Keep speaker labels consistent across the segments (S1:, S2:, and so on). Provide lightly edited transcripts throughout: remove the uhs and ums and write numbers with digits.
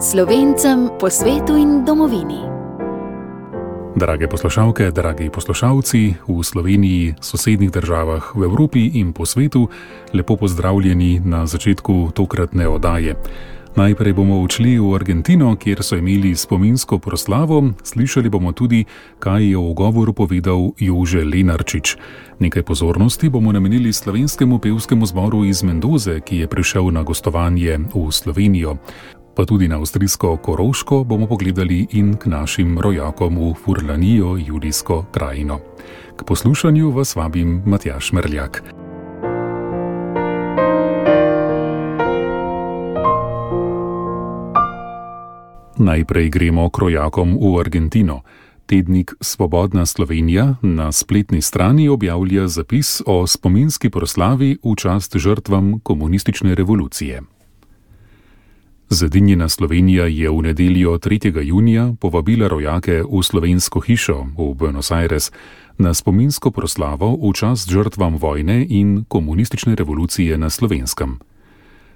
S1: Slovencem po svetu in domovini.
S2: Drage poslušalke, dragi poslušalci, v Sloveniji, sosednjih državah, v Evropi in po svetu, lepo pozdravljeni na začetku tokratne oddaje. Najprej bomo odšli v Argentino, kjer so imeli spominsko proslavo, slišali bomo tudi, kaj je v govoru povedal Jože Lenarčič. Nekaj pozornosti bomo namenili slovenskemu pevskemu zboru iz Mendoze, ki je prišel na gostovanje v Slovenijo. Pa tudi na avstrijsko Koroško bomo pogledali in k našim rojakom v Furlanijo, Julijsko krajino. K poslušanju vas vabim Matjaž Merljak. Najprej gremo k rojakom v Argentino. Tednik Svobodna Slovenija na spletni strani objavlja zapis o spominski proslavi v čast žrtvam komunistične revolucije. Zedinjena Slovenija je v nedeljo 3. junija povabila rojake v slovensko hišo v Buenos Aires na spominsko proslavo v čast žrtvam vojne in komunistične revolucije na Slovenskem.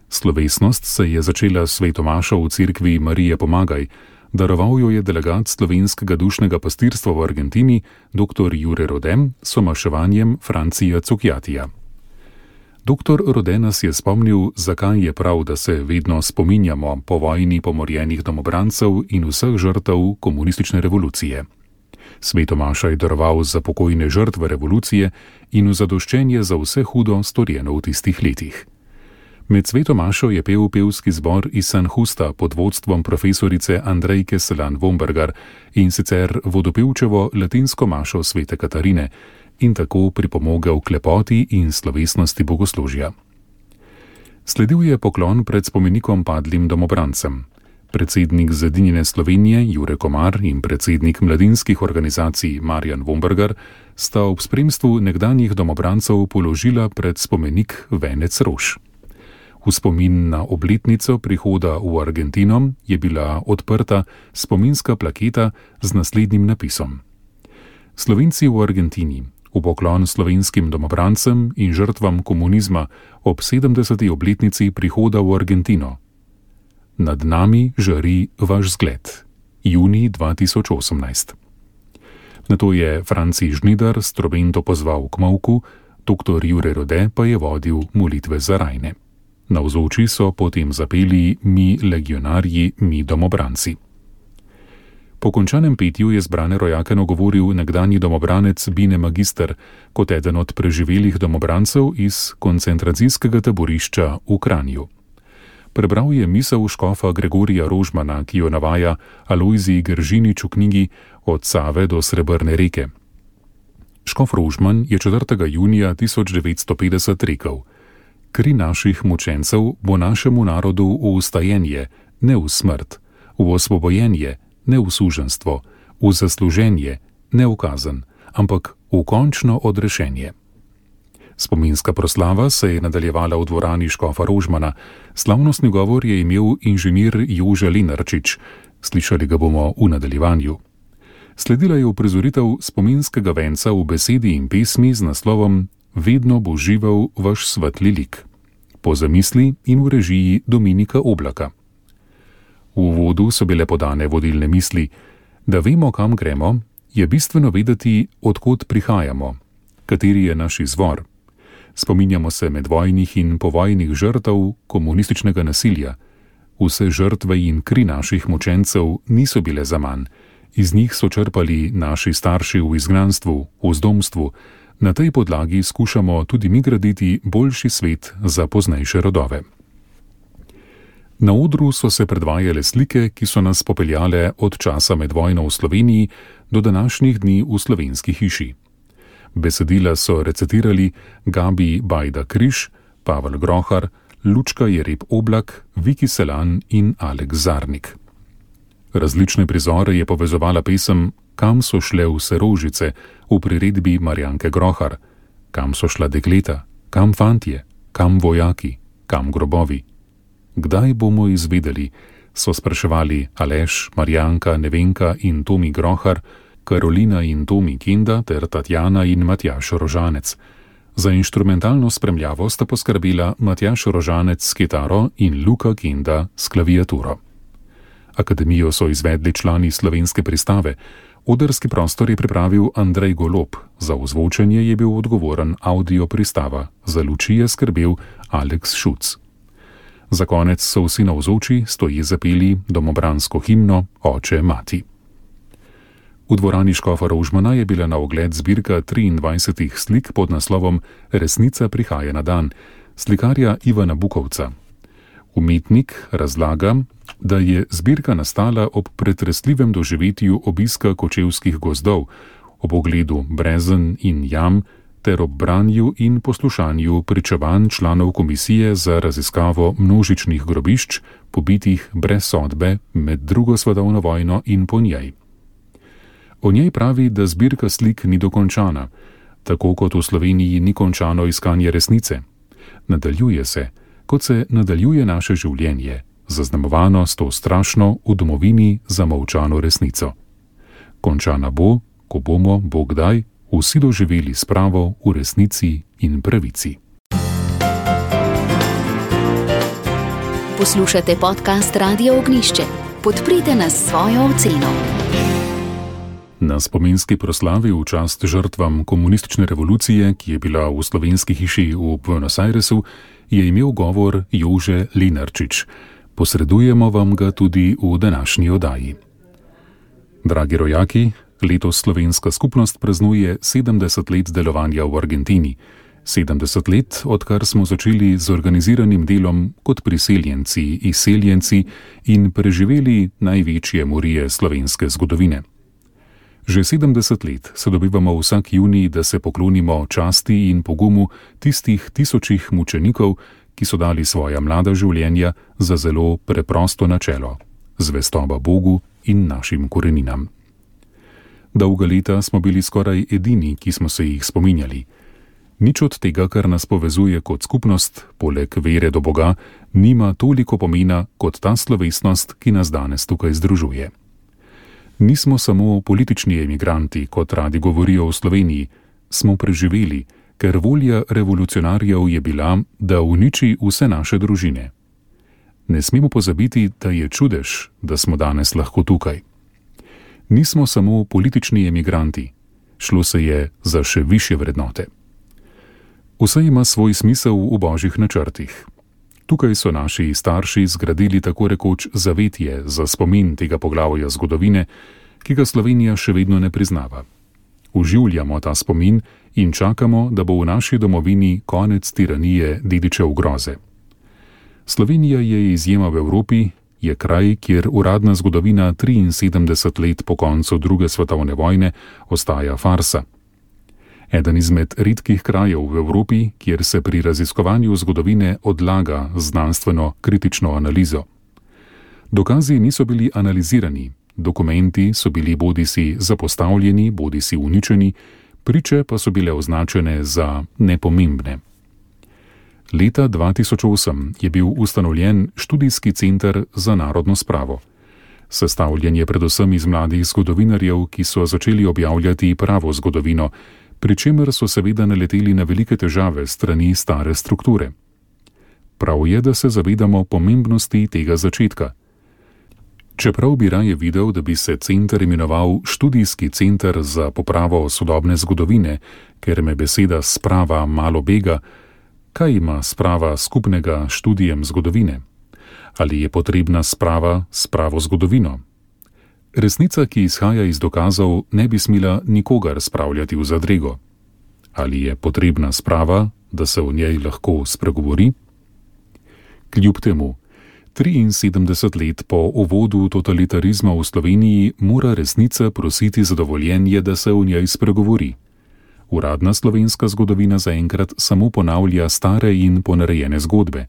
S2: Slovesnost se je začela s svetomašo v cerkvi Marije Pomagaj, daroval jo je delegat slovenskega dušnega pastirstva v Argentini, dr. Jure Rode, s somaševanjem Francija Cukjatija. Dr. Rode nas je spomnil, zakaj je prav, da se vedno spominjamo po vojni pomorjenih domobrancev in vseh žrtev komunistične revolucije. Svetomaša je daroval za pokojne žrtve revolucije in v zadoščenje za vse hudo storjeno v tistih letih. Med svetomašo je pel pevski zbor iz San Justa pod vodstvom profesorice Andrejke Selan-Vombergar in sicer vodopevčevo latinsko mašo svete Katarine in tako pripomogel k lepoti in slovesnosti bogoslužja. Sledil je poklon pred spomenikom padlim domobrancem. Predsednik Zedinjene Slovenije Jure Komar in predsednik mladinskih organizacij Marjan Vombergar sta ob spremstvu nekdanjih domobrancev položila pred spomenik venec rož. V spomin na obletnico prihoda v Argentino je bila odprta spominska plaketa z naslednjim napisom: Slovenci v Argentini, v poklon slovenskim domobrancem in žrtvam komunizma ob 70. obletnici prihoda v Argentino. Nad nami žari vaš zgled. Junij 2018. Nato je Franci Žnidar s trobento pozval k molku, dr. Jure Rode pa je vodil molitve za rajne. Navzoči so potem zapeli Mi legionarji, mi domobranci. Po končanem petju je zbrane rojake nagovoril nekdanji domobranec Bine Magister kot eden od preživelih domobrancev iz koncentracijskega taborišča v Kranju. Prebral je misel škofa Gregorija Rožmana, ki jo navaja Alojzij Gržinič v knjigi Od Save do Srebrne reke. Škof Rožman je 4. junija 1950 rekel: Kri naših mučencev bo našemu narodu v ustajenje, ne v smrt, v osvobojenje, ne v suženstvo, v zasluženje, ne v kazen, ampak v končno odrešenje. Spominska proslava se je nadaljevala v dvorani škofa Rožmana. Slavnostni govor je imel inženir Jože Lenarčič. Slišali ga bomo v nadaljevanju. Sledila je uprizoritev spominskega venca v besedi in pesmi z naslovom Vedno bo živel vaš svetli lik, po zamisli in v režiji Dominika Oblaka. V uvodu so bile podane vodilne misli. Da vemo, kam gremo, je bistveno vedeti, od kod prihajamo, kateri je naš izvor. Spominjamo se medvojnih in povojnih žrtev komunističnega nasilja. Vse žrtve in kri naših mučencev niso bile zaman. Iz njih so črpali naši starši v izgnanstvu, v zdomstvu. Na tej podlagi skušamo tudi mi graditi boljši svet za poznejše rodove. Na odru so se predvajale slike, ki so nas popeljale od časa med vojno v Sloveniji do današnjih dni v slovenski hiši. Besedila so recitirali Gabi Bajda Križ, Pavel Grohar, Lučka Jereb Oblak, Viki Selan in Aleks Zarnik. Različne prizore je povezovala pesem Kam so šle vse rožice v priredbi Marjanke Grohar, kam so šla dekleta, kam fantje, kam vojaki, kam grobovi. Kdaj bomo izvedeli, so spraševali Aleš, Marjanka, Nevenka in Tomi Grohar, Karolina in Tomi Kenda ter Tatjana in Matjaž Rožanec. Za inštrumentalno spremljavo sta poskrbela Matjaž Rožanec s kitaro in Luka Kenda s klaviaturo. Akademijo so izvedli člani slovenske pristave. Odrski prostor je pripravil Andrej Golob, za ozvočenje je bil odgovoren Audio Pristava, za luči je skrbel Aleks Šuc. Za konec so vsi navzoči stoji zapeli domobransko himno Oče, mati. V dvorani Škofa Rožmana je bila na ogled zbirka 23 slik pod naslovom Resnica prihaja na dan, slikarja Ivana Bukovca. Umetnik razlaga, da je zbirka nastala ob pretresljivem doživetju obiska kočevskih gozdov, ob ogledu brezen in jam ter ob branju in poslušanju pričevanj članov komisije za raziskavo množičnih grobišč, pobitih brez sodbe med drugo svetovno vojno in po njej. O njej pravi, da zbirka slik ni dokončana, tako kot v Sloveniji ni končano iskanje resnice. Nadaljuje se, kot se nadaljuje naše življenje, zaznamovano s to strašno v domovini zamolčano resnico. Končana bo, ko bomo, Bog daj, vsi doživeli spravo v resnici in pravici.
S1: Poslušate podcast Radia Ognjišče. Podprite nas s svojo oceno.
S2: Na spominski proslavi v čast žrtvam komunistične revolucije, ki je bila v slovenski hiši v Buenos Airesu, je imel govor Jože Lenarčič. Posredujemo vam ga tudi v današnji oddaji. Dragi rojaki, letos slovenska skupnost praznuje 70 let delovanja v Argentini. 70 let, odkar smo začeli z organiziranim delom kot priseljenci, izseljenci in preživeli največje morije slovenske zgodovine. Že 70 let se dobivamo vsak junij, da se poklonimo časti in pogumu tistih tisočih mučenikov, ki so dali svoja mlada življenja za zelo preprosto načelo – zvestoba Bogu in našim koreninam. Dolga leta smo bili skoraj edini, ki smo se jih spominjali. Nič od tega, kar nas povezuje kot skupnost, poleg vere do Boga, nima toliko pomena kot ta slovesnost, ki nas danes tukaj združuje. Nismo samo politični emigranti, kot radi govorijo v Sloveniji, smo preživeli, ker volja revolucionarjev je bila, da uniči vse naše družine. Ne smemo pozabiti, da je čudež, da smo danes lahko tukaj. Nismo samo politični emigranti, šlo se je za še višje vrednote. Vse ima svoj smisel v božjih načrtih. Tukaj so naši starši zgradili tako rekoč zavetje za spomin tega poglavja zgodovine, ki ga Slovenija še vedno ne priznava. Oživljamo ta spomin in čakamo, da bo v naši domovini konec tiranije dedičev groze. Slovenija je izjema v Evropi, je kraj, kjer uradna zgodovina 73 let po koncu druge svetovne vojne ostaja farsa. Eden izmed redkih krajev v Evropi, kjer se pri raziskovanju zgodovine odlaga znanstveno kritično analizo. Dokazi niso bili analizirani, dokumenti so bili bodisi zapostavljeni, bodisi uničeni, priče pa so bile označene za nepomembne. Leta 2008 je bil ustanovljen študijski center za narodno spravo. Sestavljen je predvsem iz mladih zgodovinarjev, ki so začeli objavljati pravo zgodovino, pri čemer so seveda naleteli na velike težave strani stare strukture. Prav je, da se zavedamo pomembnosti tega začetka. Čeprav bi raje videl, da bi se center imenoval Študijski center za popravo sodobne zgodovine, ker me beseda sprava malo bega, kaj ima sprava skupnega študijem zgodovine? Ali je potrebna sprava s pravo zgodovino? Resnica, ki izhaja iz dokazov, ne bi smela nikogar spravljati v zadrego. Ali je potrebna sprava, da se o njej lahko spregovori? Kljub temu, 73 let po uvodu totalitarizma v Sloveniji mora resnica prositi za dovoljenje, da se o njej spregovori. Uradna slovenska zgodovina zaenkrat samo ponavlja stare in ponarejene zgodbe.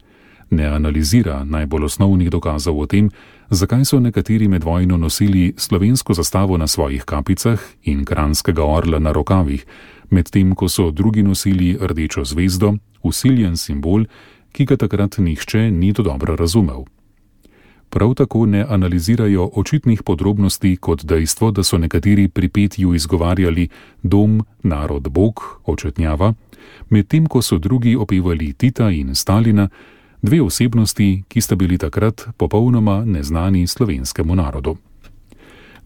S2: Ne analizira najbolj osnovnih dokazov o tem, zakaj so nekateri med vojno nosili slovensko zastavo na svojih kapicah in kranjskega orla na rokavih, medtem ko so drugi nosili rdečo zvezdo, vsiljen simbol, ki ga takrat nihče ni dobro razumel. Prav tako ne analizirajo očitnih podrobnosti kot dejstvo, da so nekateri pri petju izgovarjali dom, narod, Bog, očetnjava, medtem ko so drugi opevali Tita in Stalina, Dve osebnosti, ki sta bili takrat popolnoma neznani slovenskemu narodu.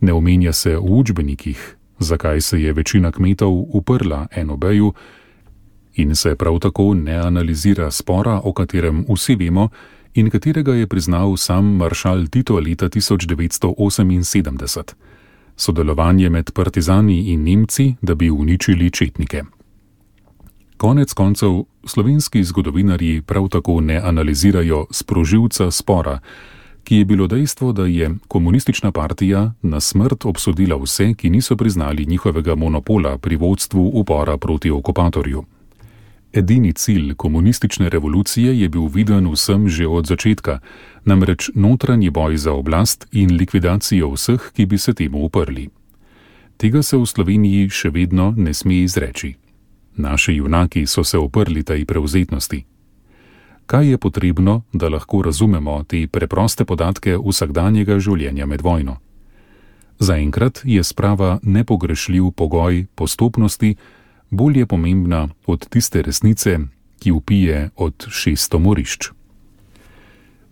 S2: Ne omenja se v učbenikih, zakaj se je večina kmetov uprla NOB-ju, in se prav tako ne analizira spora, o katerem vsi vemo in katerega je priznal sam maršal Tito leta 1978. Sodelovanje med partizani in Nemci, da bi uničili četnike. Konec koncev, slovenski zgodovinarji prav tako ne analizirajo sprožilca spora, ki je bilo dejstvo, da je komunistična partija na smrt obsodila vse, ki niso priznali njihovega monopola pri vodstvu upora proti okupatorju. Edini cilj komunistične revolucije je bil viden vsem že od začetka, namreč notranji boj za oblast in likvidacijo vseh, ki bi se temu uprli. Tega se v Sloveniji še vedno ne sme izreči. Naši junaki so se uprli tej prevzetnosti. Kaj je potrebno, da lahko razumemo te preproste podatke vsakdanjega življenja med vojno? Zaenkrat je sprava nepogrešljiv pogoj postopnosti bolje pomembna od tiste resnice, ki vpije od 600 morišč.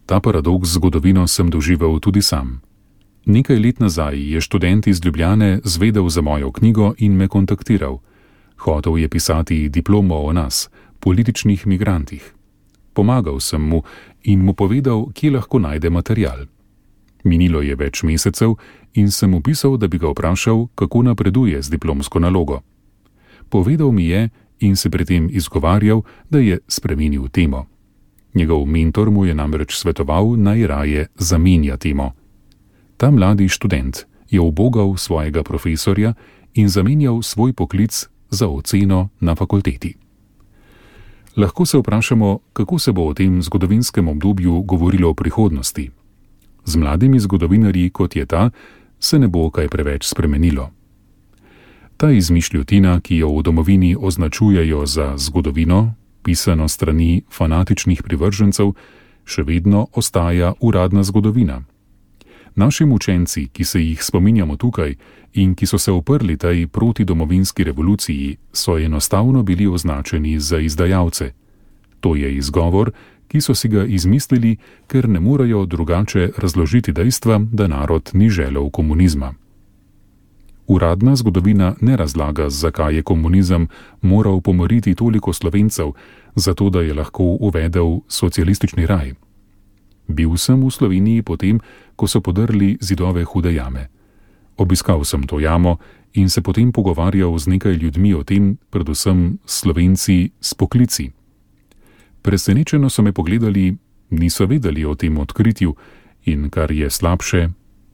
S2: Ta paradoks zgodovino sem doživel tudi sam. Nekaj let nazaj je študent iz Ljubljane zvedel za mojo knjigo in me kontaktiral. Hotel je pisati diplomo o nas, političnih migrantih. Pomagal sem mu in mu povedal, kje lahko najde material. Minilo je več mesecev in sem mu pisal, da bi ga vprašal, kako napreduje z diplomsko nalogo. Povedal mi je in se pri tem izgovarjal, da je spremenil temo. Njegov mentor mu je namreč svetoval, naj raje zamenja temo. Ta mladi študent je ubogal svojega profesorja in zamenjal svoj poklic za oceno na fakulteti. Lahko se vprašamo, kako se bo o tem zgodovinskem obdobju govorilo v prihodnosti. Z mladimi zgodovinarji, kot je ta, se ne bo kaj preveč spremenilo. Ta izmišljotina, ki jo v domovini označujejo za zgodovino, pisano strani fanatičnih privržencev, še vedno ostaja uradna zgodovina. Naši učenci, ki se jih spominjamo tukaj in ki so se uprli tej protidomovinski revoluciji, so enostavno bili označeni za izdajalce. To je izgovor, ki so si ga izmislili, ker ne morejo drugače razložiti dejstva, da narod ni želel komunizma. Uradna zgodovina ne razlaga, zakaj je komunizem moral pomoriti toliko Slovencev, zato da je lahko uvedel socialistični raj. Bil sem v Sloveniji potem, ko so podrli zidove Hude jame. Obiskal sem to jamo in se potem pogovarjal z nekaj ljudmi o tem, predvsem Slovenci s poklici. Presenečeno so me pogledali, niso vedeli o tem odkritju in, kar je slabše,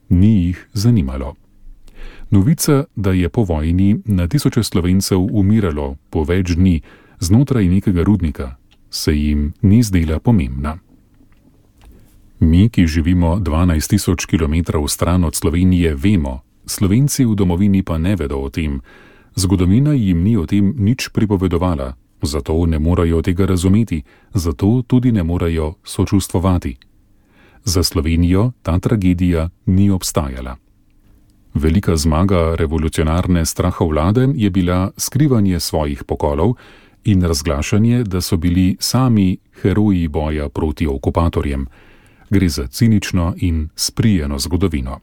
S2: ni jih zanimalo. Novica, da je po vojni na tisoče Slovencev umiralo po več dni znotraj nekega rudnika, se jim ni zdela pomembna. Mi, ki živimo 12.000 kilometrov stran od Slovenije, vemo, Slovenci v domovini pa ne vedo o tem. Zgodovina jim ni o tem nič pripovedovala, zato ne morejo tega razumeti, zato tudi ne morejo sočustvovati. Za Slovenijo ta tragedija ni obstajala. Velika zmaga revolucionarne strahovlade je bila skrivanje svojih pokolov in razglašanje, da so bili sami heroji boja proti okupatorjem. Gre za cinično in sprijeno zgodovino.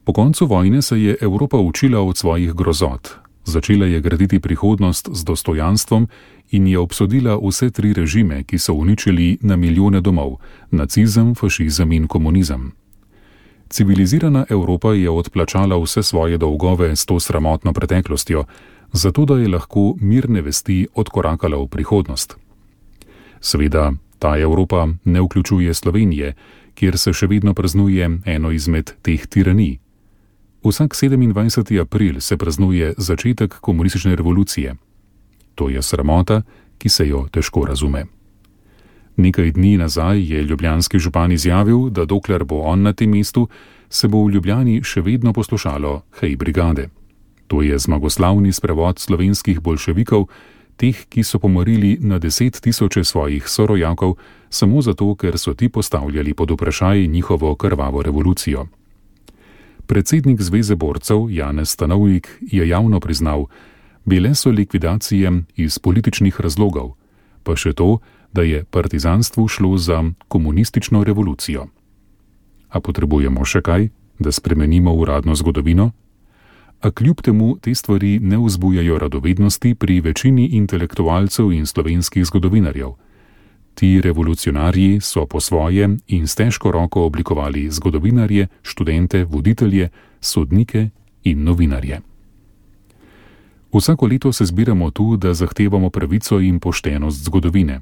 S2: Po koncu vojne se je Evropa učila od svojih grozot, začela je graditi prihodnost z dostojanstvom in je obsodila vse tri režime, ki so uničili na milijone domov, nacizem, fašizem in komunizem. Civilizirana Evropa je odplačala vse svoje dolgove s to sramotno preteklostjo, zato da je lahko mirne vesti odkorakala v prihodnost. Seveda, ta Evropa ne vključuje Slovenije, kjer se še vedno praznuje eno izmed teh tiranij. Vsak 27. april se praznuje začetek komunistične revolucije. To je sramota, ki se jo težko razume. Nekaj dni nazaj je ljubljanski župan izjavil, da dokler bo on na tem mestu, se bo v Ljubljani še vedno poslušalo Hej brigade. To je zmagoslavni sprevod slovenskih boljševikov, teh, ki so pomorili na 10 000 svojih sorojakov, samo zato, ker so ti postavljali pod vprašaj njihovo krvavo revolucijo. Predsednik Zveze borcev Janez Stanovnik je javno priznal, bile so likvidacije iz političnih razlogov, pa še to, da je partizanstvu šlo za komunistično revolucijo. A potrebujemo še kaj, da spremenimo uradno zgodovino? A kljub temu te stvari ne vzbujajo radovednosti pri večini intelektualcev in slovenskih zgodovinarjev. Ti revolucionarji so po svoje in s težko roko oblikovali zgodovinarje, študente, voditelje, sodnike in novinarje. Vsako leto se zbiramo tu, da zahtevamo pravico in poštenost zgodovine.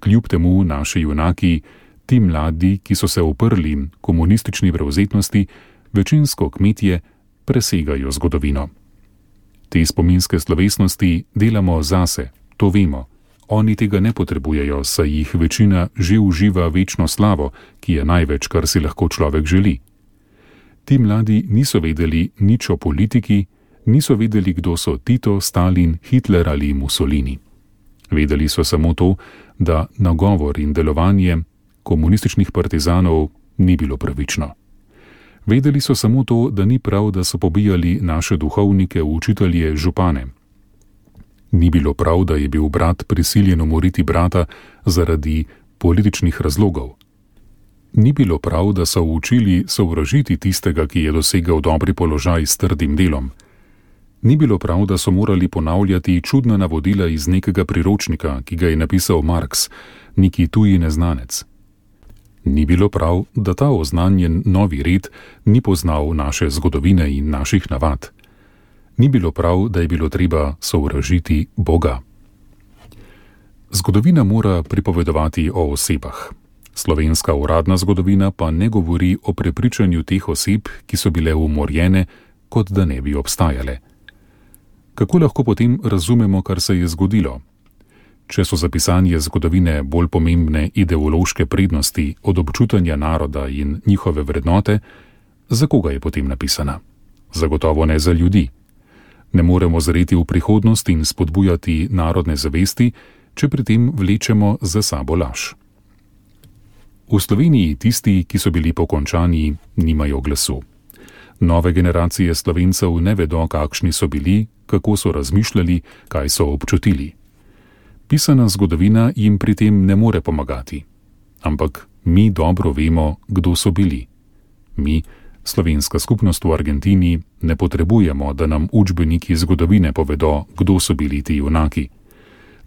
S2: Kljub temu naši junaki, ti mladi, ki so se uprli komunistični prevzetnosti, večinsko kmetje, presegajo zgodovino. Te spominske slovesnosti delamo zase, to vemo. Oni tega ne potrebujejo, saj jih večina že uživa večno slavo, ki je največ, kar si lahko človek želi. Ti mladi niso vedeli nič o politiki, niso vedeli, kdo so Tito, Stalin, Hitler ali Mussolini. Vedeli so samo to, da nagovor in delovanje komunističnih partizanov ni bilo pravično. Vedeli so samo to, da ni prav, da so pobijali naše duhovnike, učitelje, župane. Ni bilo prav, da je bil brat prisiljen umoriti brata zaradi političnih razlogov. Ni bilo prav, da so učili sovražiti tistega, ki je dosegal dobri položaj s trdim delom. Ni bilo prav, da so morali ponavljati čudna navodila iz nekega priročnika, ki ga je napisal Marx, neki tuji neznanec. Ni bilo prav, da ta oznanjen novi red ni poznal naše zgodovine in naših navad. Ni bilo prav, da je bilo treba sovražiti Boga. Zgodovina mora pripovedovati o osebah. Slovenska uradna zgodovina pa ne govori o prepričanju teh oseb, ki so bile umorjene, kot da ne bi obstajale. Kako lahko potem razumemo, kar se je zgodilo? Če so za pisanje zgodovine bolj pomembne ideološke prednosti od občutanja naroda in njihove vrednote, za koga je potem napisana? Zagotovo ne za ljudi. Ne moremo zreti v prihodnost in spodbujati narodne zavesti, če pri tem vlečemo za sabo laž. V Sloveniji tisti, ki so bili pokončani, nimajo glasu. Nove generacije Slovencev ne vedo, kakšni so bili, kako so razmišljali, kaj so občutili. Pisana zgodovina jim pri tem ne more pomagati. Ampak mi dobro vemo, kdo so bili. Mi, slovenska skupnost v Argentini, ne potrebujemo, da nam učbeniki zgodovine povedo, kdo so bili ti junaki.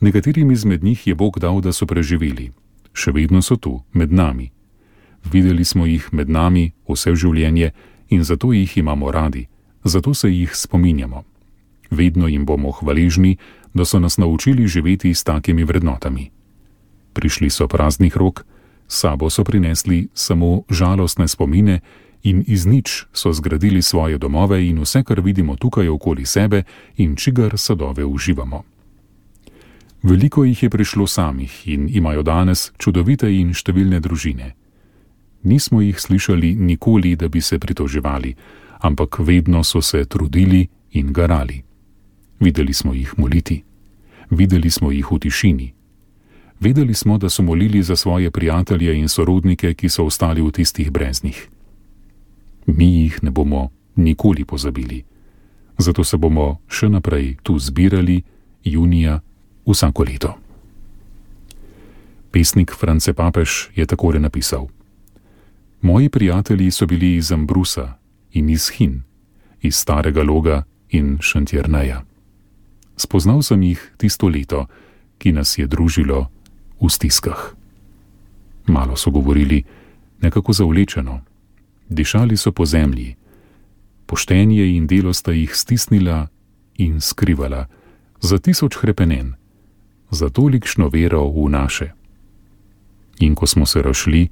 S2: Nekaterim izmed njih je Bog dal, da so preživeli. Še vedno so tu, med nami. Videli smo jih med nami vse življenje in zato jih imamo radi, zato se jih spominjamo. Vedno jim bomo hvaležni, da so nas naučili živeti s takimi vrednotami. Prišli so praznih rok, s sabo so prinesli samo žalostne spomine in iz nič so zgradili svoje domove in vse, kar vidimo tukaj okoli sebe in čigar sadove uživamo. Veliko jih je prišlo samih in imajo danes čudovite in številne družine. Nismo jih slišali nikoli, da bi se pritoževali, ampak vedno so se trudili in garali. Videli smo jih moliti. Videli smo jih v tišini. Vedeli smo, da so molili za svoje prijatelje in sorodnike, ki so ostali v tistih breznih. Mi jih ne bomo nikoli pozabili. Zato se bomo še naprej tu zbirali junija vsako leto. Pesnik France Papež je takole napisal: Moji prijatelji so bili iz Ambrusa in iz Hin, iz Starega Loga in Šentjerneja. Spoznal sem jih tisto leto, ki nas je družilo v stiskah. Malo so govorili, nekako zavlečeno. Dišali so po zemlji. Poštenje in delo sta jih stisnila in skrivala za 1000 hrepenen, za tolikšno vero v naše. In ko smo se razšli,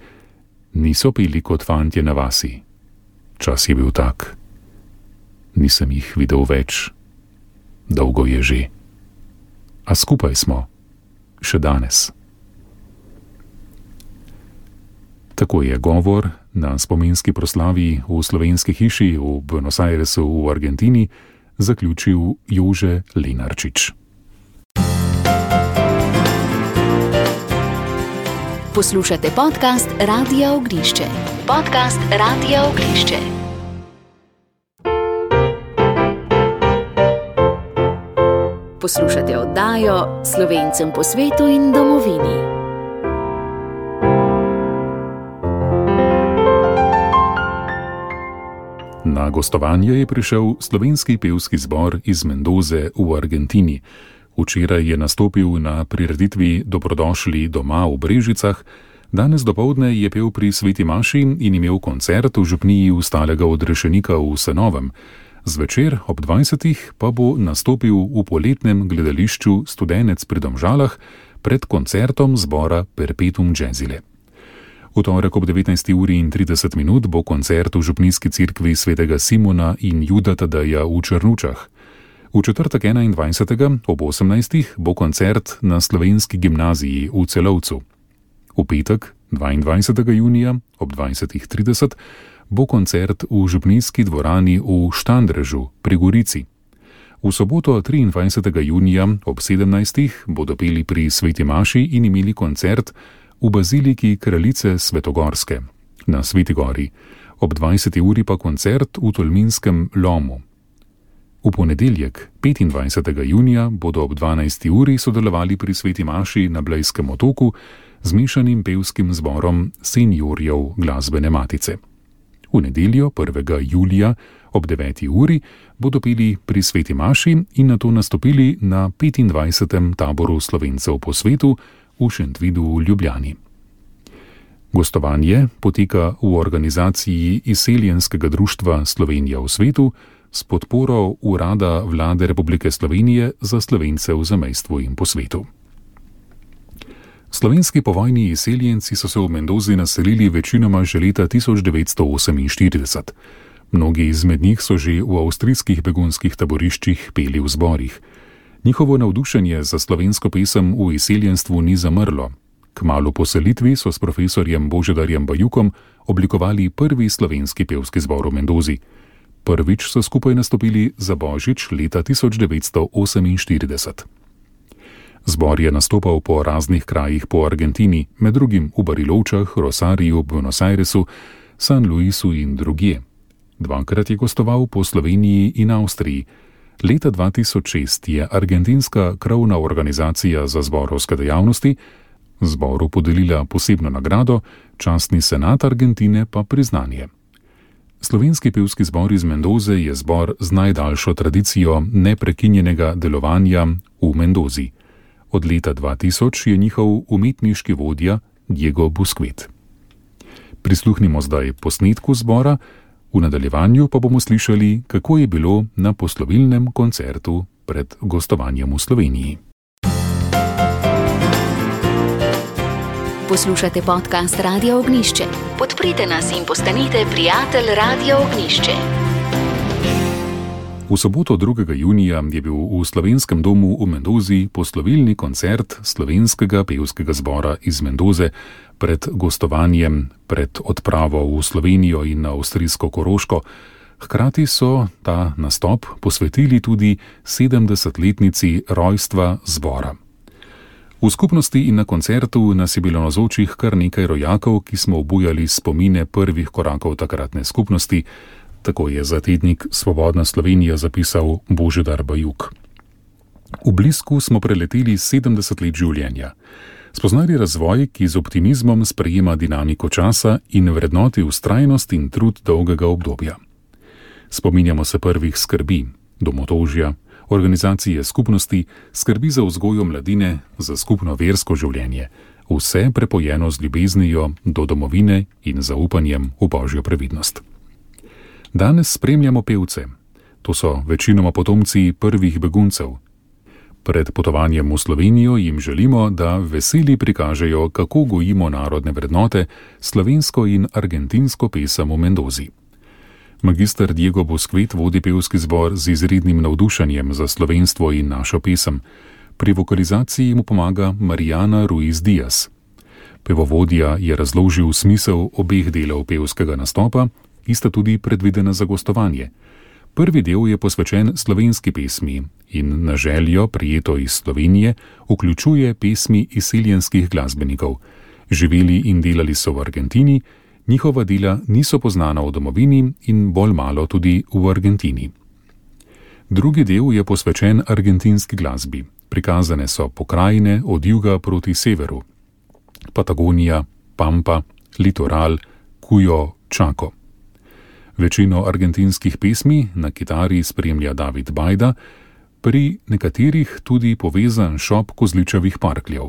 S2: niso pili kot fantje na vasi. Čas je bil tak. Nisem jih videl več. Dolgo je že. A skupaj smo. Še danes. Tako je govor na spominski proslavi v Slovenski hiši v Buenos Airesu v Argentini zaključil Jože Lenarčič.
S1: Poslušate podcast Radia Ognjišče. Podcast Radia Ognjišče. Poslušate oddajo Slovencem po svetu in domovini.
S2: Na gostovanje je prišel slovenski pevski zbor iz Mendoze v Argentini. Včeraj je nastopil na prireditvi Dobrodošli doma v Brežicah, danes dopoldne je pel pri Sveti maši in imel koncert v župniji Ustalega odrešenika v Senovem. Zvečer ob 20. pa bo nastopil v poletnem gledališču Studenec pri Domžalah pred koncertom zbora Perpetuum Jazzile. V torek ob 19:30 bo koncert v župnijski cerkvi svetega Simona in Juda Tadeja v Črnučah. V četrtek 21. ob 18. bo koncert na slovenski gimnaziji v Celovcu. V petek 22. junija ob 20:30 bo koncert v župnijski dvorani v Štandrežu pri Gorici. V soboto 23. junija ob 17. bodo peli pri Sveti maši in imeli koncert v baziliki Kraljice Svetogorske na Sveti gori, ob 20. uri pa koncert v Tolminskem lomu. V ponedeljek 25. junija bodo ob 12. uri sodelovali pri Sveti maši na Blejskem otoku z mešanim pevskim zborom Seniorjev glasbene matice. V nedeljo 1. julija ob 9. uri bodo peli pri Sveti maši in nato nastopili na 25. taboru Slovencev po svetu v Šentvidu v Ljubljani. Gostovanje poteka v organizaciji Izseljenskega društva Slovenija v svetu s podporo Urada Vlade Republike Slovenije za Slovence v zamejstvu in po svetu. Slovenski povojni izseljenci so se v Mendozi naselili večinoma že leta 1948. Mnogi izmed njih so že v avstrijskih begunskih taboriščih peli v zborih. Njihovo navdušenje za slovensko pesem v izseljenstvu ni zamrlo. Kmalu po selitvi so s profesorjem Božidarjem Bajukom oblikovali prvi slovenski pevski zbor v Mendozi. Prvič so skupaj nastopili za Božič leta 1948. Zbor je nastopal po raznih krajih po Argentini, med drugim v Barilovčah, Rosariju, Buenos Airesu, San Luisu in drugje. Dvakrat je gostoval po Sloveniji in Avstriji. Leta 2006 je argentinska krovna organizacija za zborovske dejavnosti zboru podelila posebno nagrado, častni senat Argentine pa priznanje. Slovenski pevski zbor iz Mendoze je zbor z najdaljšo tradicijo neprekinjenega delovanja v Mendozi. Od leta 2000 je njihov umetniški vodja Diego Busquet. Prisluhnimo zdaj posnetku zbora, v nadaljevanju pa bomo slišali, kako je bilo na poslovilnem koncertu pred gostovanjem v Sloveniji.
S1: Poslušate podcast Radia Ognišče. Podprite nas in postanite prijatelj Radia Ognišče.
S2: V soboto 2. junija je bil v Slovenskem domu v Mendozi poslovilni koncert slovenskega pevskega zbora iz Mendoze pred gostovanjem, pred odpravo v Slovenijo in na avstrijsko Koroško. Hkrati so ta nastop posvetili tudi 70-letnici rojstva zbora. V skupnosti in na koncertu nas je bilo navzočih kar nekaj rojakov, ki smo obujali spomine prvih korakov takratne skupnosti, tako je za tednik Svobodna Slovenija zapisal Božidar Bajuk. V blisku smo preleteli 70 let življenja. Spoznali razvoj, ki z optimizmom sprejema dinamiko časa in vrednoti vztrajnost in trud dolgega obdobja. Spominjamo se prvih skrbi, domotožja, organizacije skupnosti, skrbi za vzgojo mladine, za skupno versko življenje, vse prepojeno z ljubeznijo do domovine in zaupanjem v Božjo previdnost. Danes spremljamo pevce. To so večinoma potomci prvih beguncev. Pred potovanjem v Slovenijo jim želimo, da veseli prikažejo, kako gojimo narodne vrednote, slovensko in argentinsko pesem v Mendozi. Magister Diego Busquet vodi pevski zbor z izrednim navdušenjem za slovenstvo in našo pesem. Pri vokalizaciji mu pomaga Marijana Ruiz Diaz. Pevovodja je razložil smisel obeh delov pevskega nastopa, ki sta tudi predvidena za gostovanje. Prvi del je posvečen slovenski pesmi in na željo, prijeto iz Slovenije, vključuje pesmi izseljenskih glasbenikov. Živeli in delali so v Argentini, njihova dela niso poznana v domovini in bolj malo tudi v Argentini. Drugi del je posvečen argentinski glasbi. Prikazane so pokrajine od juga proti severu. Patagonija, Pampa, Litoral, Cuyo, Chaco. Večino argentinskih pesmi na kitari spremlja David Bajda, pri nekaterih tudi povezan šop kozličevih parkljev.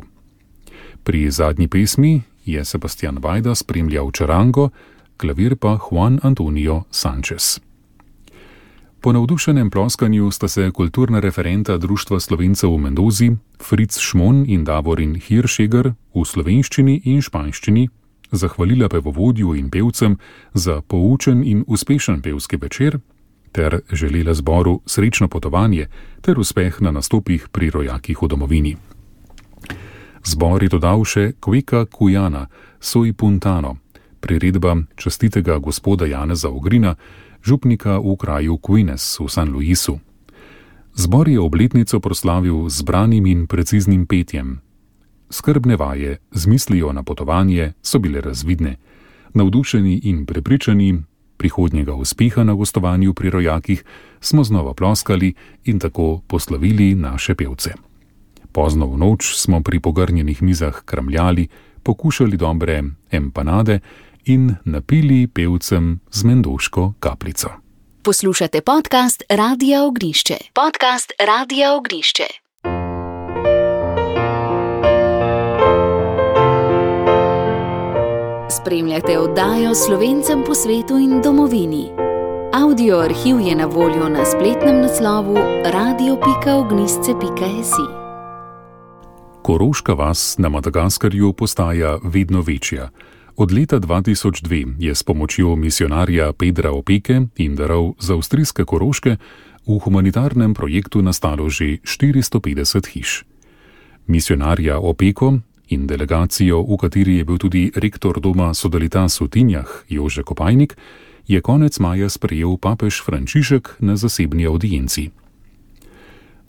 S2: Pri zadnji pesmi je Sebastian Bajda spremljal čarango, klavir pa Juan Antonio Sanchez. Po navdušenem ploskanju sta se kulturna referenta Društva Slovencev v Mendozi, Fritz Šmon in Davorin Hiršeger, v slovenščini in španščini zahvalila pevovodju in pevcem za poučen in uspešen pevski večer ter želela zboru srečno potovanje ter uspeh na nastopih pri rojakih v domovini. Zbor je dodal še Cueca Cuyana, Soy Puntano, priredba častitega gospoda Janeza Ogrina, župnika v kraju Quines v San Luisu. Zbor je obletnico proslavil z branim in preciznim petjem. Skrbne vaje z mislijo na potovanje so bile razvidne. Navdušeni in prepričani prihodnjega uspeha na gostovanju pri rojakih smo znova ploskali in tako poslovili naše pevce. Pozno v noč smo pri pogrnjenih mizah kramljali, pokušali dobre empanade in napili pevcem z mendoško kapljico.
S1: Poslušate podcast Radia Ognišče. Podcast Radia Ognišče. Spremljate oddajo Slovencem po svetu in domovini. Audio arhiv je na voljo na spletnem naslovu radio.ognisce.si.
S2: Koroška vas na Madagaskarju postaja vedno večja. Od leta 2002 je s pomočjo misionarja Pedra Opeke in darov za avstrijske Koroške v humanitarnem projektu nastalo že 450 hiš. Misionarja Opeko in delegacijo, v kateri je bil tudi rektor doma Sodalitas v Tinjah, Jože Kopajnik, je konec maja sprejel papež Frančišek na zasebni audienci.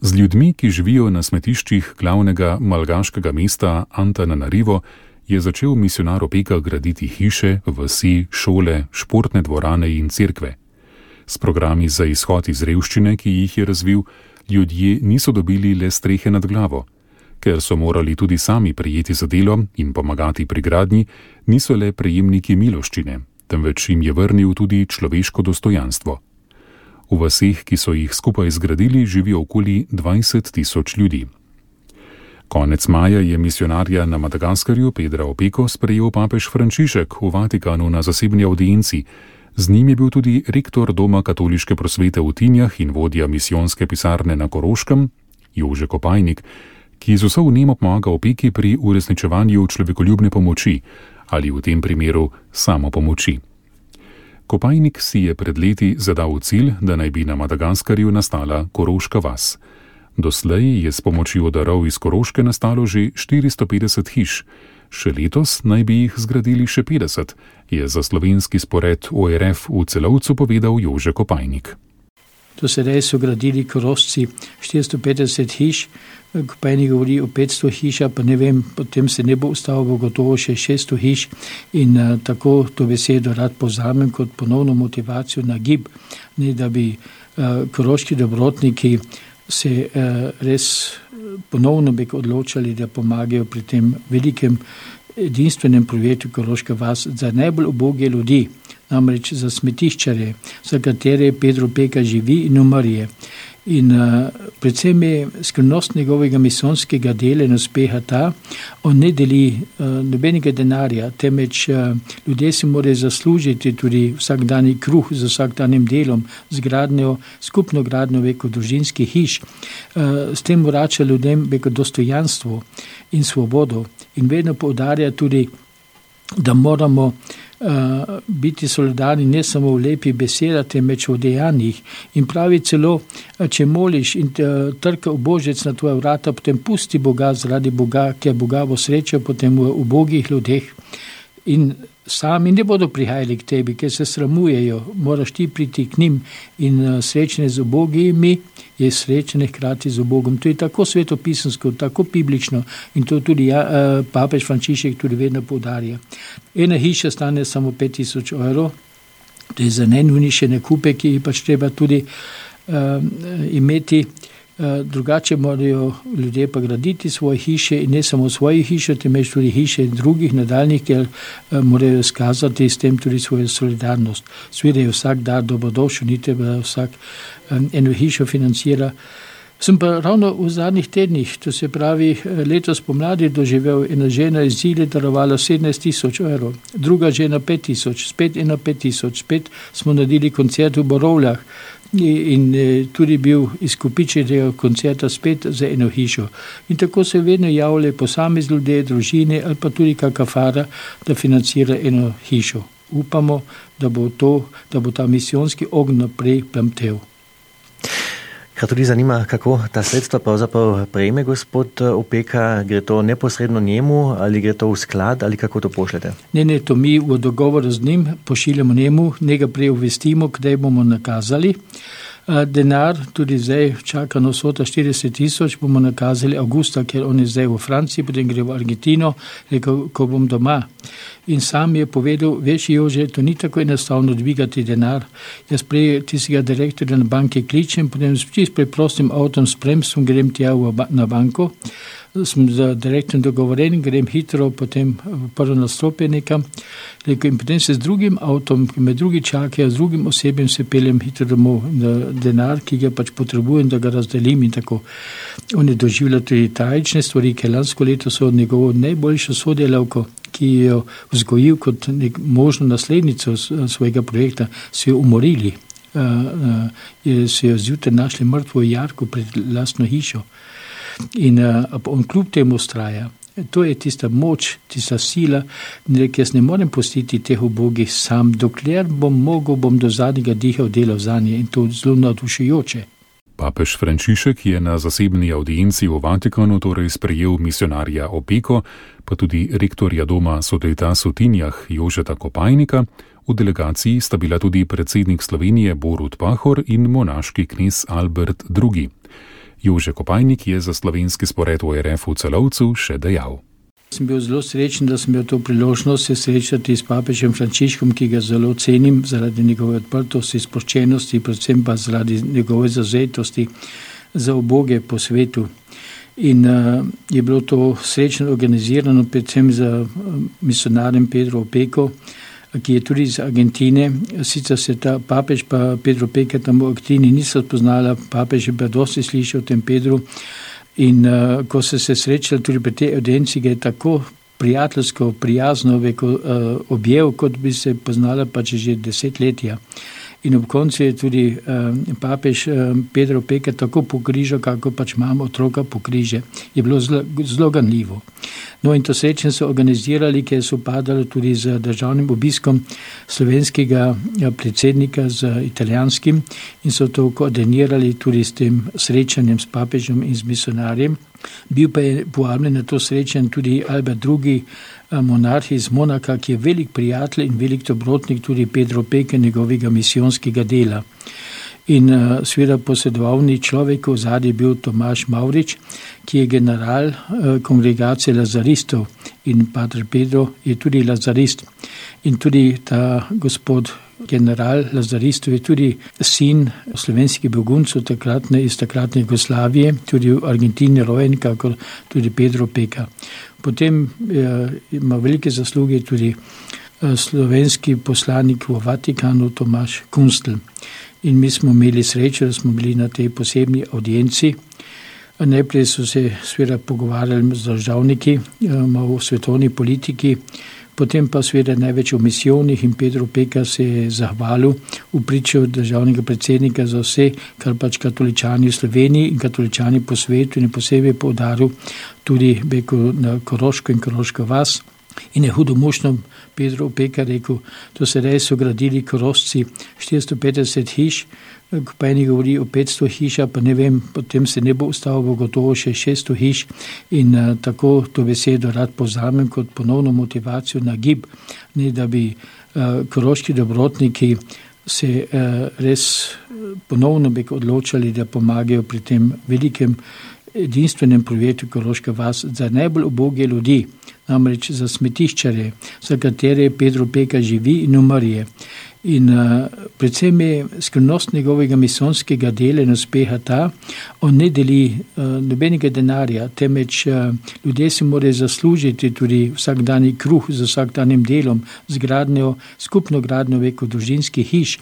S2: Z ljudmi, ki živijo na smetiščih glavnega malgaškega mesta Antananarivo, je začel misionar Opeka graditi hiše, vasi, šole, športne dvorane in cerkve. S programi za izhod iz revščine, ki jih je razvil, ljudje niso dobili le strehe nad glavo. Ker so morali tudi sami prejeti za delo in pomagati pri gradnji, niso le prejemniki miloščine, temveč jim je vrnil tudi človeško dostojanstvo. V vaseh, ki so jih skupaj zgradili, živi okoli 20.000 ljudi. Konec maja je misionarja na Madagaskarju Pedra Opeko sprejel papež Frančišek v Vatikanu na zasebni audienci. Z njim je bil tudi rektor Doma katoliške prosvete v Tinjah in vodja misijonske pisarne na Koroškem, Jože Kopajnik, ki z vso vnemo pomaga Opeki pri uresničevanju človekoljubne pomoči ali v tem primeru samopomoči. Kopajnik si je pred leti zadal cilj, da naj bi na Madagaskarju nastala Koroška vas. Doslej je s pomočjo darov iz Koroške nastalo že 450 hiš, še letos naj bi jih zgradili še 50, je za slovenski spored ORF v Celovcu povedal Jože Kopajnik.
S3: Do sedaj so gradili Korošci 450 hiš, Kopajnik govori o 500 hiša, pa ne vem, potem se ne bo ustavilo gotovo še 600 hiš in tako to besedo rad povzamem kot ponovno motivacijo na gib, ne da bi koroški dobrotniki se res ponovno bi odločali, da pomagajo pri tem velikem edinstvenem projektu Koroška vas za najbolj uboge ljudi, namreč za smetiščare, za katere Pedro Opeka živi in umrje. In predvsem je skrivnost njegovega misijonskega dela in uspeha ta, on ne deli nobenega denarja, temveč ljudje si morajo zaslužiti tudi vsakdanji kruh z vsakdanjim delom, z gradnjo, skupno gradnjo veko družinskih hiš. S tem vrača ljudem veko dostojanstvo in svobodo in vedno poudarja tudi, da moramo biti solidarni ne samo v lepih besedah, temveč v dejanjih. In pravi celo, če moliš in trka ubožec na tvoja vrata, potem pusti Boga zaradi Boga, ker Boga bo srečal potem v ubogih ljudeh. In sami ne bodo prihajali k tebi, ker se sramujejo, moraš ti priti k njim in srečne z ubogimi je srečne hkrati z Bogom. To je tako svetopisansko, tako biblično in to tudi papež Frančišek tudi vedno poudarja. Ena hiša stane samo 5000 €, to je za najnujnejše nakupe, ki jih pač treba tudi imeti. Drugače morajo ljudje pa graditi svoje hiše in ne samo svoje hiše, temveč tudi hiše drugih nadaljnih, ker morajo skazati s tem tudi svojo solidarnost. Seveda je vsak dar dobrodošel, ni treba vsak eno hišo financira. Sem pa ravno v zadnjih tednih, to se pravi letos pomladi, doživel ena žena iz Zile, darovala 17 000 evrov, druga žena 5 000, spet ena 5 000, spet smo naredili koncert v Borovljah in tudi bil izkupiček tega koncerta spet za eno hišo. In tako se vedno javljajo posamezni ljudje, družine ali pa tudi kakšna fara, da financira eno hišo. Upamo, da bo ta misijonski ogenj naprej plamtel.
S4: Kar tudi zanima, kako ta sredstva pravzaprav prejme gospod Opeka, gre to neposredno njemu ali gre to v sklad ali kako to pošljete?
S3: Ne, to mi v dogovoru z njim pošiljamo njemu, njega prej obvestimo, kdaj bomo nakazali. Denar, tudi zdaj čaka nas vsota 40 000, bomo nakazali avgusta, ker on je zdaj v Franciji, potem gre v Argentino, rekel, ko bom doma. In sam je povedal, veš Jože, to ni tako enostavno dvigati denar. Jaz prej tistega direktorja na banki kličem, potem s čist preprostim avtom spremstvom grem tja na banko, sem z direktorjem dogovoren, grem hitro, potem prvo nastopje nekam, in potem se z drugim avtom, ki me drugi čakajo, z drugim osebjem se peljem hitro domov na denar, ki ga pač potrebujem, da ga razdelim in tako. On je doživljal tudi tragične stvari, ker lansko leto so njegovo najboljšo sodelavko, ki jo vzgojil kot možno naslednico svojega projekta, so jo umorili. So jo zjutraj našli mrtvo v jarku pred lastno hišo. In on kljub temu ustraja. To je tista moč, tista sila, ki jaz ne morem pustiti teh ubogih sam, dokler bom mogel, bom do zadnjega diha delal zanje in to zelo navdušujoče.
S2: Papež Frančišek je na zasebni audienci v Vatikanu torej sprejel misionarja Opeko, pa tudi rektorja doma Sodelitas v Tinjah Jožeta Kopajnika. V delegaciji sta bila tudi predsednik Slovenije Borut Pahor in monaški knez Albert II. Jože Kopajnik je za slovenski spored v RF v Celovcu še dejal.
S3: Sem bil zelo srečen, da sem imel to priložnost se srečati s papežem Frančiškom, ki ga zelo cenim zaradi njegove odprtosti, sproščenosti, predvsem pa zaradi njegove zavzetosti za uboge po svetu. In je bilo to srečno organizirano, predvsem za misionarjem Pedro Opeko, ki je tudi iz Argentine. Sicer se ta papež pa Pedro Opeka tam v Argentini niso spoznala, papež je pa dosti slišal o tem Pedru. In ko so se srečali tudi pri tej audienci, ga je tako prijateljsko, prijazno objel, kot bi se poznala pač že desetletja. In ob koncu je tudi papež Pedro Opeka tako pokrižal, kako pač imamo otroka pokriže. Je bilo zelo ganljivo. No in to srečanje so organizirali, ker so padali tudi z državnim obiskom slovenskega predsednika z italijanskim in so to koordinirali tudi s tem srečanjem s papežem in z misionarjem. Bil pa je povabljen na to srečanje tudi Albert II, monarh iz Monaka, ki je velik prijatelj in velik dobrotnik tudi Pedro Opeke, njegovega misijonskega dela. In seveda posredovalni človek v zadnji je bil Tomaž Mavrič, ki je general kongregacije lazaristov in pater Pedro je tudi lazarist. In tudi ta gospod general lazaristov je tudi sin slovenskih beguncev iz takratne Jugoslavije, tudi v Argentini rojen, kakor tudi Pedro Opeka. Potem ima velike zasluge tudi slovenski poslanik v Vatikanu Tomaž Kunstl. In mi smo imeli srečo, da smo bili na tej posebni audienci. Najprej so se seveda pogovarjali z državniki o svetovni politiki, potem pa seveda največ o misijonih in Pedro Opeka se je zahvalil v priču državnega predsednika za vse, kar pač katoličani v Sloveniji in katoličani po svetu in posebej poudaril tudi na Koroško in Koroško vas. In je hudomušno Pedro Opeka rekel, to se res so gradili Korošci 450 hiš, pa eni govori o 500 hiša, pa ne vem, potem se ne bo ustavilo gotovo še 600 hiš in tako to besedo rad povzamem kot ponovno motivacijo na gib, ne da bi koroški dobrotniki se res ponovno bi odločali, da pomagajo pri tem velikem edinstvenem projektu Koroška vas za najbolj uboge ljudi, namreč za smetiščare, za katere Pedro Opeka živi in umrje. In predvsem je skrivnost njegovega misonskega dela in uspeha ta, on ne deli nobenega denarja, temveč ljudje si morajo zaslužiti tudi vsakdanji kruh z vsakdanjim delom, z gradnjo, skupno gradnjo veko družinskih hiš.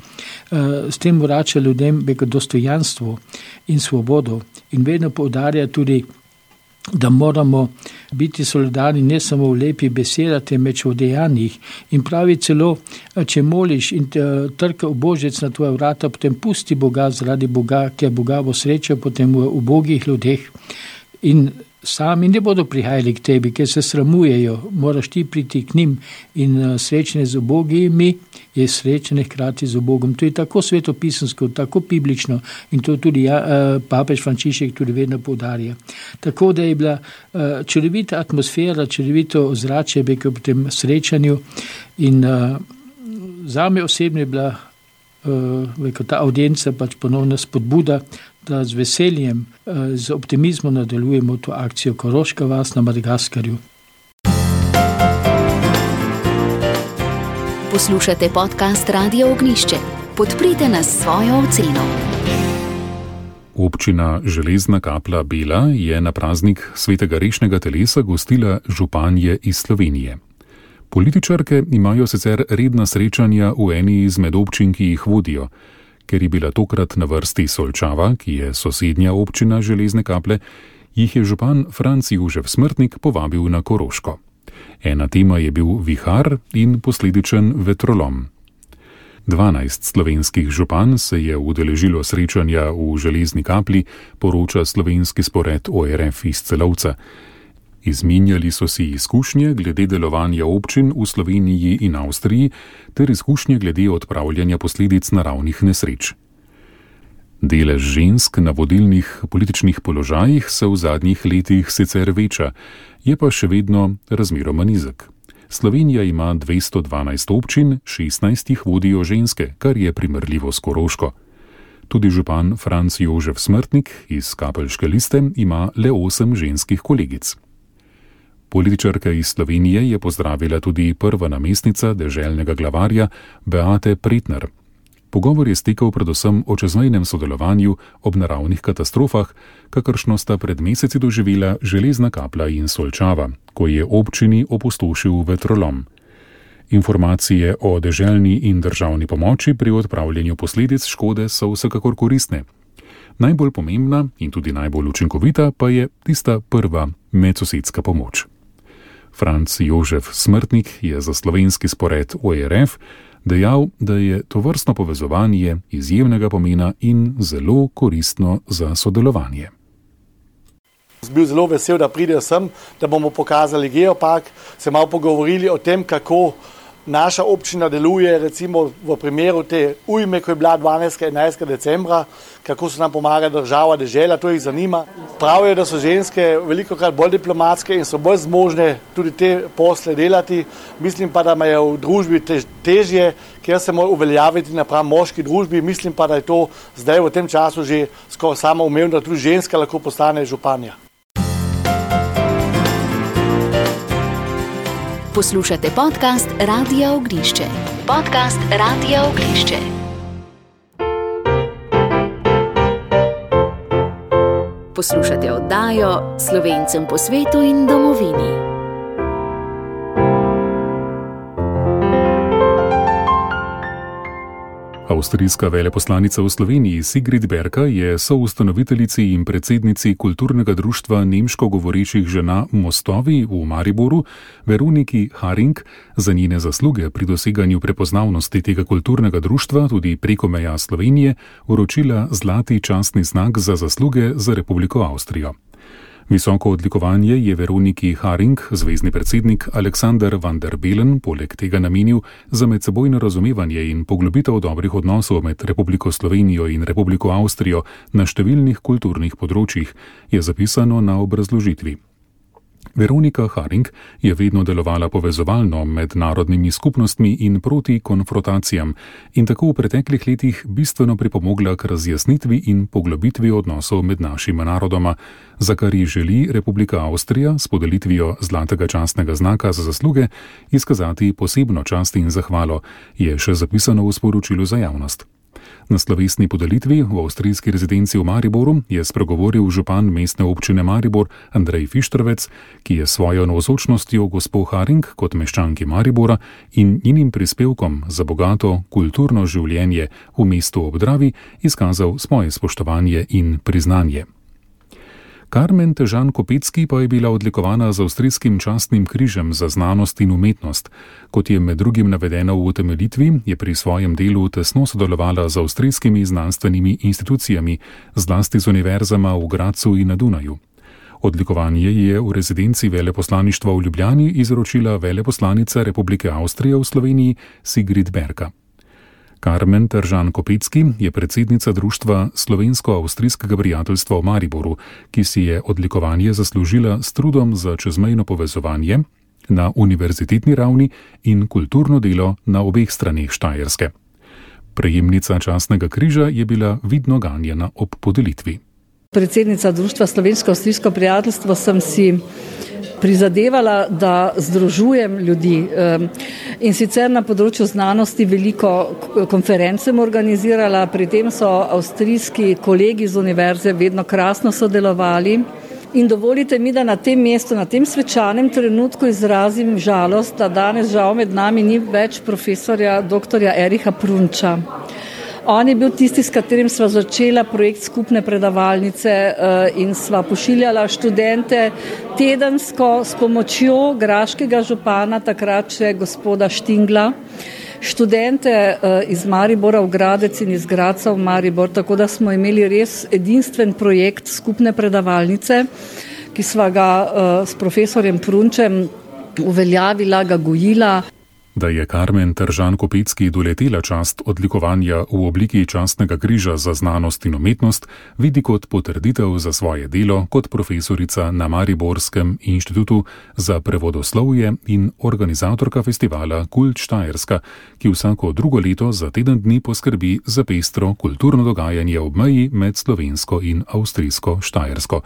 S3: S tem vrača ljudem veko dostojanstvo in svobodo in vedno poudarja tudi, da moramo biti solidarni ne samo v lepi besedah, temveč v dejanjih. In pravi celo, če moliš in trka ubožec na tvoja vrata, potem pusti Boga zaradi Boga, ki je Boga bo srečal potem v ubogih ljudeh. In sami ne bodo prihajali k tebi, ker se sramujejo, moraš ti priti k njim in srečanje z ubogimi je srečanje hkrati z Bogom. To je tako svetopisansko, tako biblično in to tudi papež Frančišek tudi vedno poudarja. Tako da je bila čudovita atmosfera, čudovito ozračje v tem srečanju in zame osebno je bila ta audienca pač ponovna spodbuda, da z veseljem, z optimizmom nadaljujemo to akcijo Koroška vas na Madagaskarju.
S1: Poslušate podcast Radia Ognjišče. Podprite nas s svojo oceno.
S2: Občina Železna Kapla Bela je na praznik svetega rešnega telesa gostila županje iz Slovenije. Političarke imajo sicer redna srečanja v eni izmed občin, ki jih vodijo. Ker je bila tokrat na vrsti Solčava, ki je sosednja občina Železne Kaple, jih je župan Franc Jožef Smrtnik povabil na Koroško. Ena tema je bil vihar in posledičen vetrolom. 12 slovenskih župan se je udeležilo srečanja v Železni Kapli, poroča slovenski spored ORF iz Celovca. Izmenjali so si izkušnje glede delovanja občin v Sloveniji in Avstriji ter izkušnje glede odpravljanja posledic naravnih nesreč. Delež žensk na vodilnih političnih položajih se v zadnjih letih sicer veča, je pa še vedno razmeroma nizek. Slovenija ima 212 občin, 16 jih vodijo ženske, kar je primerljivo s Koroško. Tudi župan Franc Jožef Smrtnik iz Kapelške liste ima le 8 ženskih kolegic. Političarka iz Slovenije je pozdravila tudi prva namestnica deželnega glavarja Beate Pretnar. Pogovor je stekel predvsem o čezmejnem sodelovanju ob naravnih katastrofah, kakršno sta pred meseci doživela Železna Kapla in Solčava, ko je občini opustošil vetrolom. Informacije o deželni in državni pomoči pri odpravljanju posledic škode so vsekakor koristne. Najbolj pomembna in tudi najbolj učinkovita pa je tista prva medsosedska pomoč. Franc Jožef Smrtnik je za slovenski spored ORF dejal, da je tovrstno povezovanje izjemnega pomena in zelo koristno za sodelovanje.
S5: Bil zelo vesel, da pridejo sem, da bomo pokazali geopark, se malo pogovorili o tem, kako naša občina deluje, recimo v primeru te ujme, ko je bila 12. in 11. decembra, kako se nam pomaga država, dežela, to jih zanima. Pravijo, da so ženske velikokrat bolj diplomatske in so bolj zmožne tudi te posle delati. Mislim pa, da me je v družbi težje, ker se mora uveljaviti napram moški družbi. Mislim pa, da je to zdaj v tem času že skoraj samoumevno, da tudi ženska lahko postane županja.
S1: Poslušate podcast Radia Ognjišče. Podcast Radia Ognjišče. Poslušate oddajo Slovencem po svetu in domovini.
S2: Avstrijska veleposlanica v Sloveniji Sigrid Berka je soustanoviteljici in predsednici kulturnega društva nemško govorečih žena Mostovi v Mariboru, Veroniki Haring, za njene zasluge pri doseganju prepoznavnosti tega kulturnega društva tudi preko meja Slovenije vročila zlati častni znak za zasluge za Republiko Avstrijo. Visoko odlikovanje je Veroniki Haring, zvezni predsednik Aleksander van der Bellen, poleg tega namenil za medsebojno razumevanje in poglobitev dobrih odnosov med Republiko Slovenijo in Republiko Avstrijo na številnih kulturnih področjih, je zapisano na obrazložitvi. Veronika Haring je vedno delovala povezovalno med narodnimi skupnostmi in proti konfrontacijam in tako v preteklih letih bistveno pripomogla k razjasnitvi in poglobitvi odnosov med našima narodoma, za kar ji želi Republika Avstrija s podelitvijo zlatega častnega znaka za zasluge izkazati posebno čast in zahvalo, je še zapisano v sporočilu za javnost. Na slovesni podelitvi v avstrijski rezidenci v Mariboru je spregovoril župan mestne občine Maribor Andrej Fištrovec, ki je svojo navzočnostjo gospo Haring kot meščanki Maribora in njenim prispevkom za bogato kulturno življenje v mestu ob Dravi izkazal svoje spoštovanje in priznanje. Karmen Težan-Kopecki pa je bila odlikovana z avstrijskim častnim križem za znanost in umetnost. Kot je med drugim navedeno v utemeljitvi, je pri svojem delu tesno sodelovala z avstrijskimi znanstvenimi institucijami, zlasti z univerzama v Gradcu in na Dunaju. Odlikovanje je v rezidenci veleposlaništva v Ljubljani izročila veleposlanica Republike Avstrije v Sloveniji Sigrid Berka. Karmen Težan-Kopecki je predsednica društva Slovensko-avstrijskega prijateljstva v Mariboru, ki si je odlikovanje zaslužila s trudom za čezmejno povezovanje na univerzitetni ravni in kulturno delo na obeh straneh Štajerske. Prejemnica častnega križa je bila vidno ganjena ob podelitvi.
S6: Predsednica društva Slovensko-avstrijsko prijateljstvo sem si prizadevala, da združujem ljudi in sicer na področju znanosti veliko konferenc sem organizirala, pri tem so avstrijski kolegi z univerze vedno krasno sodelovali in dovolite mi, da na tem mestu, na tem svečanem trenutku izrazim žalost, da danes žal med nami ni več profesorja doktorja Ericha Prunča. On je bil tisti, s katerim sva začela projekt skupne predavalnice in sva pošiljala študente tedensko s pomočjo graškega župana, takrat še gospoda Štingla, študente iz Maribora v Gradec in iz Gradca v Maribor, tako da smo imeli res edinstven projekt skupne predavalnice, ki sva ga s profesorjem Prunčem uveljavila, ga gojila.
S2: Da je Karmen Težan-Kopecki doletela čast odlikovanja v obliki častnega križa za znanost in umetnost, vidi kot potrditev za svoje delo kot profesorica na Mariborskem inštitutu za prevodoslovje in organizatorka festivala Kult Štajerska, ki vsako drugo leto za teden dni poskrbi za pestro kulturno dogajanje ob meji med slovensko in avstrijsko Štajersko.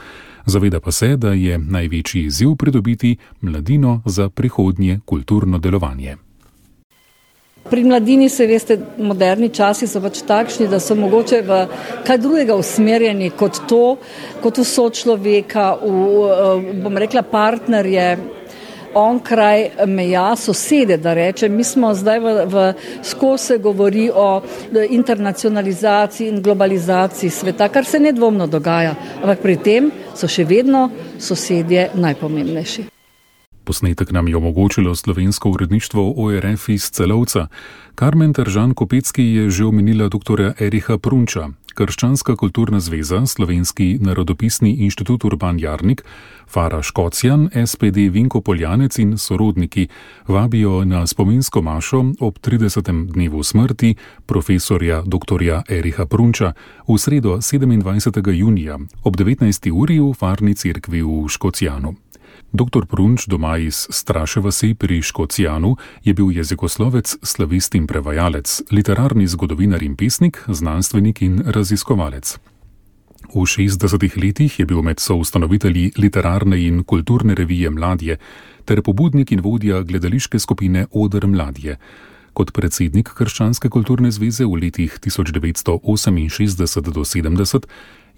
S2: Zaveda pa se, da je največji izziv pridobiti mladino za prihodnje kulturno delovanje.
S6: Pri mladini se veste, moderni časi so pač takšni, da so mogoče v kaj drugega usmerjeni kot to, kot v sočloveka, bom rekla partnerje, onkraj meja, sosede, da rečem. Mi smo zdaj skozi se govori o internacionalizaciji in globalizaciji sveta, kar se nedvomno dogaja, ampak pri tem so še vedno sosedje najpomembnejši.
S2: Posnetek nam je omogočilo slovensko uredništvo ORF iz Celovca. Karmen Težan-Kopecki je že omenila doktorja Ericha Prunča. Krščanska kulturna zveza, Slovenski narodopisni inštitut Urban Jarnik, Fara Škocjan, SPD Vinko Poljanec in sorodniki vabijo na spominsko mašo ob 30. dnevu smrti profesorja doktorja Ericha Prunča v sredo 27. junija ob 19. uri v Farni cerkvi v Škocjanu. Dr. Prunč, doma iz Straše vasi pri Škocjanu, je bil jezikoslovec, slavist in prevajalec, literarni zgodovinar in pesnik, znanstvenik in raziskovalec. V 60. letih je bil med soustanovitelji literarne in kulturne revije Mladje ter pobudnik in vodja gledališke skupine Oder Mladje. Kot predsednik Krščanske kulturne zveze v letih 1968 do 70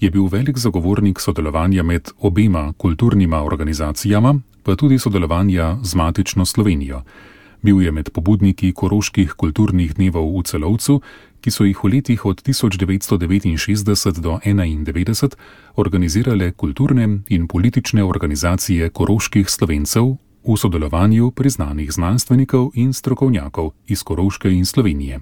S2: je bil velik zagovornik sodelovanja med obema kulturnima organizacijama, pa tudi sodelovanja z matično Slovenijo. Bil je med pobudniki koroških kulturnih dnevov v Celovcu, ki so jih v letih od 1969 do 1991 organizirale kulturne in politične organizacije koroških Slovencev v sodelovanju priznanih znanstvenikov in strokovnjakov iz Koroške in Slovenije.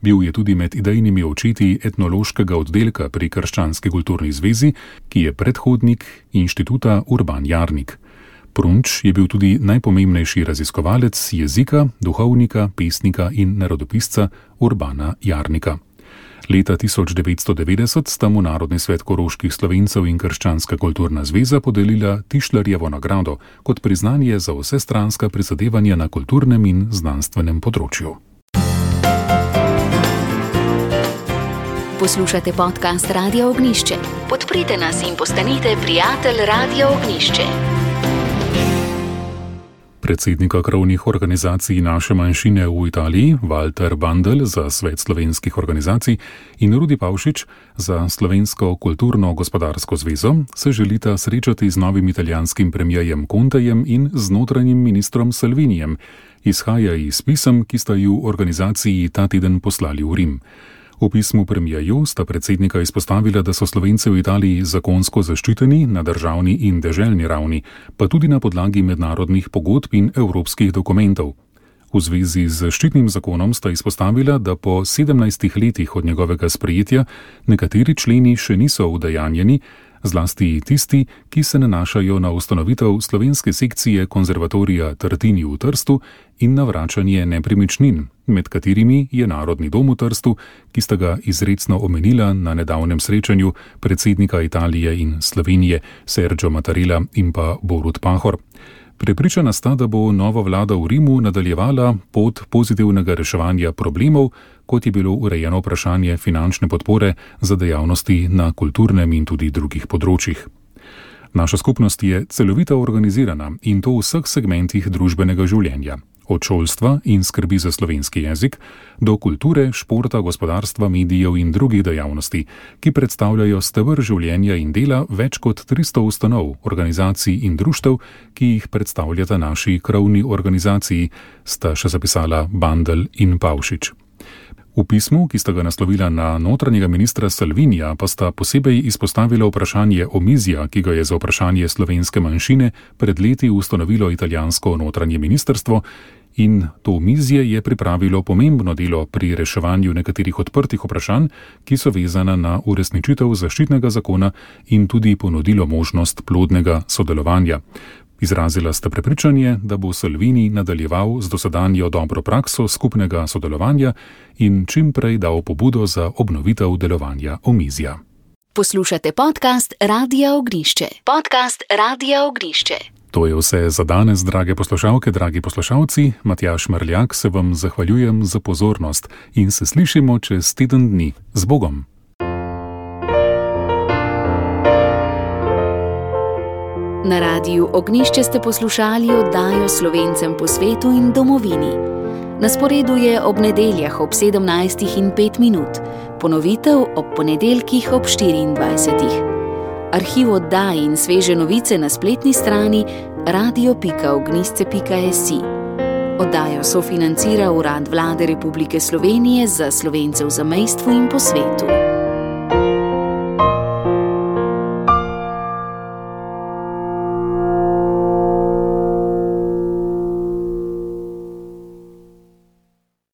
S2: Bil je tudi med idejnimi očeti etnološkega oddelka pri Krščanski kulturni zvezi, ki je predhodnik inštituta Urban Jarnik. Prunč je bil tudi najpomembnejši raziskovalec jezika, duhovnika, pesnika in narodopisca Urbana Jarnika. Leta 1990 sta mu Narodni svet koroških Slovencev in Krščanska kulturna zveza podelila Tišlerjevo nagrado kot priznanje za vsestranska prizadevanja na kulturnem in znanstvenem področju.
S1: Poslušate podcast Radia Ognišče. Podprite nas in postanite prijatelj Radia Ognišče.
S2: Predsednika krovnih organizacij naše manjšine v Italiji, Walter Bandl za Svet slovenskih organizacij in Rudi Pavšič za Slovensko kulturno-gospodarsko zvezo, se želita srečati z novim italijanskim premierjem Contejem in z notranjim ministrom Salvinijem. Izhaja iz pisem, ki sta ju organizaciji ta teden poslali v Rim. V pismu premierju sta predsednika izpostavila, da so Slovenci v Italiji zakonsko zaščiteni na državni in deželni ravni, pa tudi na podlagi mednarodnih pogodb in evropskih dokumentov. V zvezi z zaščitnim zakonom sta izpostavila, da po 17 letih od njegovega sprejetja nekateri členi še niso udejanjeni, zlasti tisti, ki se nanašajo na ustanovitev slovenske sekcije konzervatorija Tartini v Trstu in na vračanje nepremičnin, med katerimi je Narodni dom v Trstu, ki sta ga izrecno omenila na nedavnem srečanju predsednika Italije in Slovenije Sergio Mattarella in pa Borut Pahor. Prepričana sta, da bo nova vlada v Rimu nadaljevala pot pozitivnega reševanja problemov, kot je bilo urejeno vprašanje finančne podpore za dejavnosti na kulturnem in tudi drugih področjih. Naša skupnost je celovito organizirana in to v vseh segmentih družbenega življenja. Od šolstva in skrbi za slovenski jezik do kulture, športa, gospodarstva, medijev in drugih dejavnosti, ki predstavljajo steber življenja in dela več kot 300 ustanov, organizacij in društev, ki jih predstavljata naši krovni organizaciji, sta še zapisala Bandl in Pavšič. V pismu, ki sta ga naslovila na notranjega ministra Salvinija, pa sta posebej izpostavila vprašanje omizja, ki ga je za vprašanje slovenske manjšine pred leti ustanovilo italijansko notranje ministrstvo, in to omizje je pripravilo pomembno delo pri reševanju nekaterih odprtih vprašanj, ki so vezana na uresničitev zaščitnega zakona in tudi ponudilo možnost plodnega sodelovanja. Izrazila sta prepričanje, da bo Salvini nadaljeval z dosedanjo dobro prakso skupnega sodelovanja in čim prej dal pobudo za obnovitev delovanja omizja.
S1: Poslušate podcast Radia Ognišče. Podcast Radia Ognišče.
S2: To je vse za danes, drage poslušalke, dragi poslušalci. Matjaž Mrljak se vam zahvaljujem za pozornost in se slišimo čez teden dni. Z Bogom!
S1: Na Radiju Ognišče ste poslušali oddajo Slovencem po svetu in domovini. Na sporedu je ob nedeljah ob 17:05, ponovitev ob ponedeljkih ob 24. Arhiv oddaj in sveže novice na spletni strani radio.ognisce.si. Oddajo sofinancira Urad Vlade Republike Slovenije za Slovence v zamejstvu in po svetu.